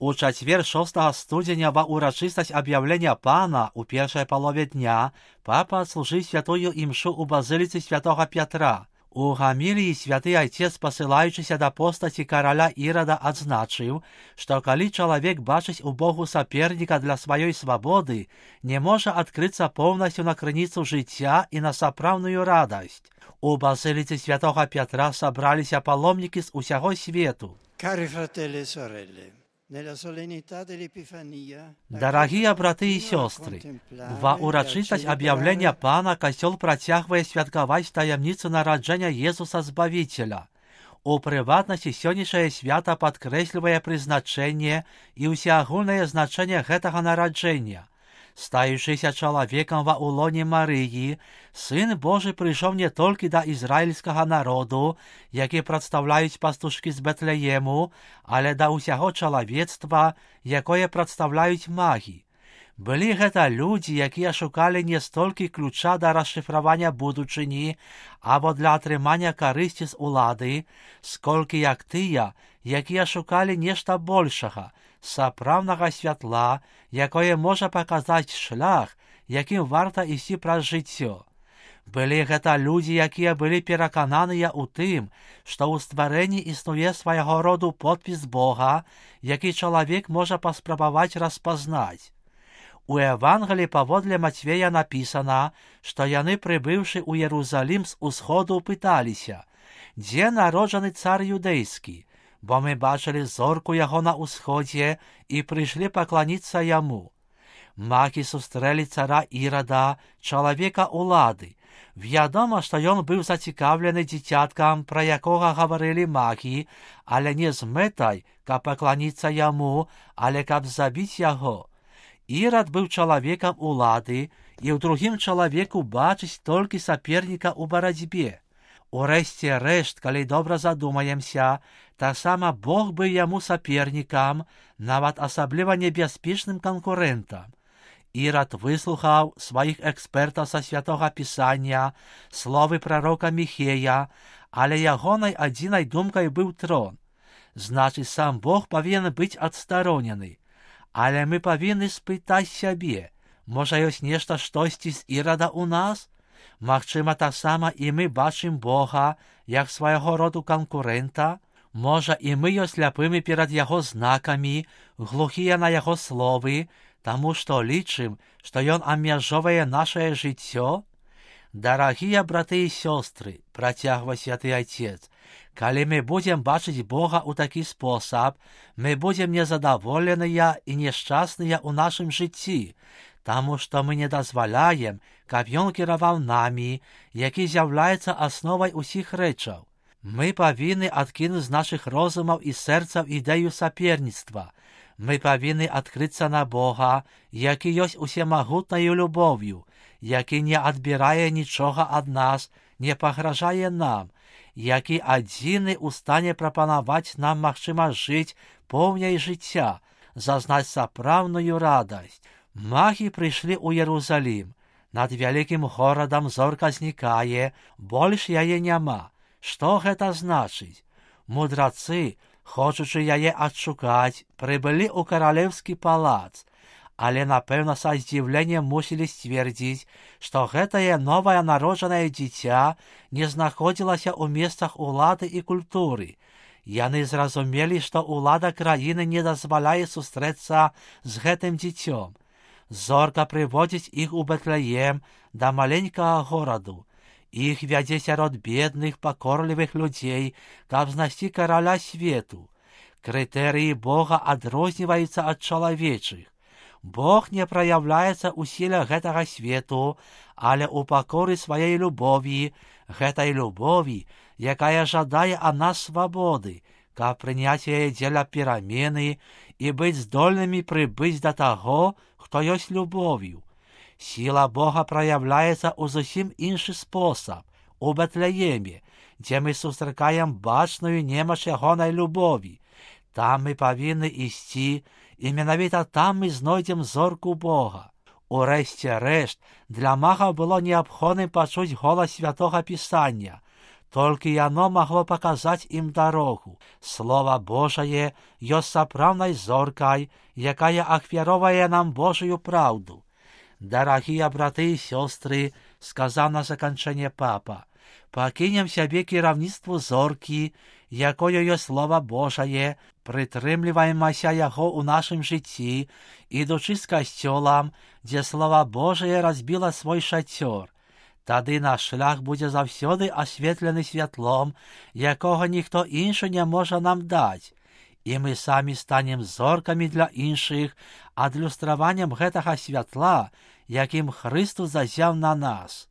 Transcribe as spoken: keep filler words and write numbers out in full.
У чацвер шостага студзеня ва ўрачыстасць аб'яўлення Пана у першай палове дня папа адслужыў святую імшу ў базыліцы святога Пятра. У гаміліі святы айцец, пасылаючыся да постаці караля Ірада, адзначыў, што калі чалавек бачыць у Богу саперніка для сваёй свабоды, не можа адкрыцца поўнасцю на крыніцу жыцця і на сапраўдную радасць. У базыліцы святога Пятра сабраліся паломнікі з усяго свету. Cari fratelli e sorelle, Дарагія браты і сёстры, ва ўрачыстасць аб'яўлення Пана касцёл працягвае святкаваць таямніцу нараджэння Езуса Збавіцеля. У прыватнасці сённяшняе свята падкрэслівае прызначэнне і ўсеагульнае значэнне гэтага нараджэння. Стаючыся чалавекам ва ўлоне Марыі, Сын Божы прыйшоў не толькі да ізраільскага народу, які прадстаўляюць пастушкі з Бэтлеему, але да ўсяго чалавецтва, якое прадстаўляюць магі. Былі гэта людзі, якія шукалі не столькі ключа да расшыфравання будучыні або для атрымання карысці з улады, сколькі як тыя, якія шукалі нешта большага, сапраўднага святла, якое можа паказаць шлях, якім варта ісці праз жыццё. Былі гэта людзі, якія былі перакананыя ў тым, што ў стварэнні існуе свайго роду подпіс Бога, які чалавек можа паспрабаваць распазнаць. У Евангелі паводле Мацвея напісана, што яны, прыбыўшы ў Ерусалім з усходу, пыталіся: «Дзе народжаны цар юдэйскі? Бо мы бачылі зорку яго на ўсходзе і прыйшлі пакланіцца яму». Магі сустрэлі цара Ірада, чалавека улады. Вядома, што ён быў зацікаўлены дзіцяткам, пра якога гаварылі магі, але не з мэтай, каб пакланіцца яму, але каб забіць яго. Ірад быў чалавекам улады, і ў другім чалавеку бачыць толькі саперніка ў барацьбе. Урэшце рэшт, калі добра задумаемся, таксама Бог быў яму сапернікам, нават асабліва небяспечным канкурэнтам. Ірад выслухаў сваіх экспертаў са святога Пісання, словы прарока Міхея, але ягонай адзінай думкай быў трон. Значыць, сам Бог павінен быць адстаронены. Але мы павінны спытаць сябе, можа, ёсць нешта штосьці з Ірада ў нас? Магчыма, таксама і мы бачым Бога як свайго роду канкурэнта? Можа, і мы ёсць ляпымі перад яго знакамі, глухія на яго словы, таму што лічым, што ён абмяжоўвае нашае жыццё? Дарагія браты і сёстры, працягвае святы айцец, калі мы будзем бачыць Бога ў такі спосаб, мы будзем незадаволеныя і няшчасныя ў нашым жыцці, таму што мы не дазваляем, каб ён кіраваў намі, які з'яўляецца асновай усіх рэчаў. Мы павінны адкінуць з нашых розумаў і сэрцаў ідэю саперніцтва. Мы павінны адкрыцца на Бога, які ёсць усемагутнаю любоўю, які не адбірае нічога ад нас, не пагражае нам, які адзіны ў стане прапанаваць нам магчымасць жыць поўняй жыцця, зазнаць сапраўдную радасць. Магі прыйшлі ў Ерусалім. Над вялікім горадам зорка знікае, больш яе няма. Што гэта значыць? Мудрацы, хочучы яе адшукаць, прыбылі ў каралеўскі палац, але, напэўна, са здзіўленнем мусілі сцвердзіць, што гэтае новае народжанае дзіця не знаходзілася ў месцах улады і культуры. Яны зразумелі, што ўлада краіны не дазваляе сустрэцца з гэтым дзіцём. Зорка прыводзіць іх у Бэтлеем, да маленькага гораду. Іх вядзе сярод бедных, пакорлівых людзей, каб знайсці караля свету. Крытэрыі Бога адрозніваюцца ад чалавечых. Бог не праяўляецца ў сіле гэтага свету, але ў пакоры сваёй любові, гэтай любові, якая жадае ад нас свабоды, каб прыняць яе дзеля перамены і быць здольнымі прыбыць да таго, хто ёсць любов'ю. Сіла Бога праяўляецца ў зусім іншы спосаб, у Бэтлееме, дзе мы сустракаем бачную немач ягонай любові. Там мы павінны ісці, і менавіта там мы знойдзем зорку Бога. Урэшце рэшт, для магаў было неабходным пачуць голас святога Пісання. Только оно могло показать им дорогу. Слово Божие есть соправной зоркой, якая охвяровая нам Божию правду. Дорогие браты и сестры, сказал на закончение папа, покинем себе керівництво зорки, якою є Слово Божие, притримливаємося його у нашем житті, ідучи з костьолом, де Слово Божие розбило свой шатер. Тоді наш шлях буде завсюди освітлений світлом, якого ніхто інший не може нам дати. І ми самі станем зорками для інших, адлюстрованням гэтага святла, яким Христос зазяв на нас.